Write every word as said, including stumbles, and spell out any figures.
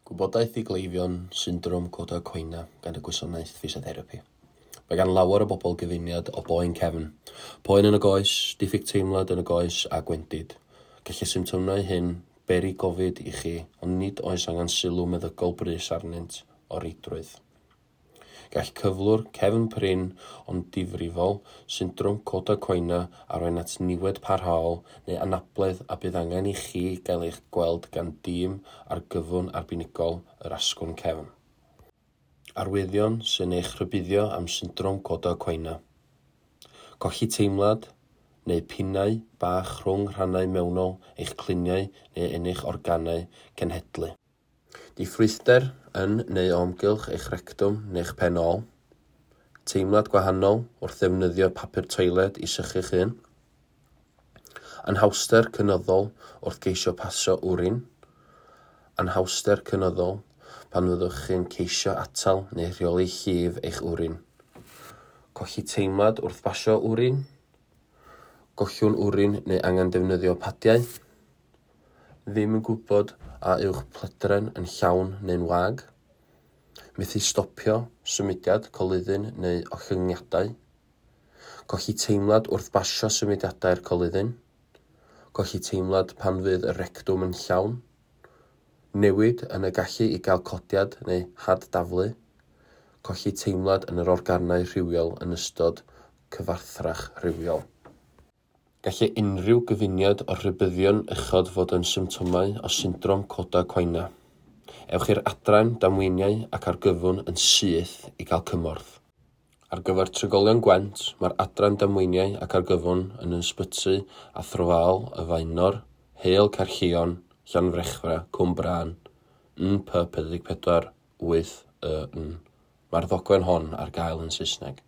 Gwybodaeth i gleifion syndrom cauda equina gan y gwasanaeth ffisiotherapi. Mae gan lawer o bobl gyfuniad o boen cefn, poen yn y goes, diffyg teimlad yn y goes a gwendid. Gall y symptomau hyn beri gofid i chi, ond nid oes angen sylw meddygol brys arnynt o reidrwydd. Gall cyflwr cefn prin ond difrifol, syndrom cauda equina, arwain at niwed parhaol neu anabledd a bydd angen i chi gael eich gweld gan dîm argyfwng arbenigol yr asgwrn cefn. Arwyddion sy'n eich rhybuddio am syndrom cauda equina. Colli teimlad neu pinnau bach rhwng rhannau mewnol eich cluniau neu yn eich organau cenhedlu. Diffrwythder yn neu o amgylch eich rectwm neu'ch pen ôl. Teimlad gwahanol wrth ddefnyddio papur toiled i sychu'ch hun. Anhawster cynyddol wrth geisio pasio wrin. Anhawster cynyddol pan fyddwch chi'n ceisio atal neu rheoli llif eich wrin. Colli teimlad wrth basio wrin. Gollwng wrin neu angen defnyddio padiau. Ddim yn gwybod a yw'ch pledren yn llawn neu'n wag. Methu stopio symudiad coluddyn neu ollyngiadau. Colli teimlad wrth basio symudiadau'r coluddyn. Colli teimlad pan fydd y rectwm yn llawn. Newid yn y gallu i gael codiad neu had-daflu. Colli teimlad yn yr organau rhywiol yn ystod cyfathrach rhywiol. Gallai unrhyw gyfuniad o'r rhybuddion uchod fod yn symptomau o syndrom cauda equina. Ewch i'r adran damweiniau ac argyfwng yn syth i gael cymorth. Ar gyfer trigolion Gwent, mae'r adran damweiniau ac argyfwng yn Ysbyty Athrofaol y Faenor, Heol Caerllion, Llanfrechfa, Cwmbrân, N P pedwar deg pedwar wyth Y N. Mae'r ddogfen hon ar gael yn Saesneg.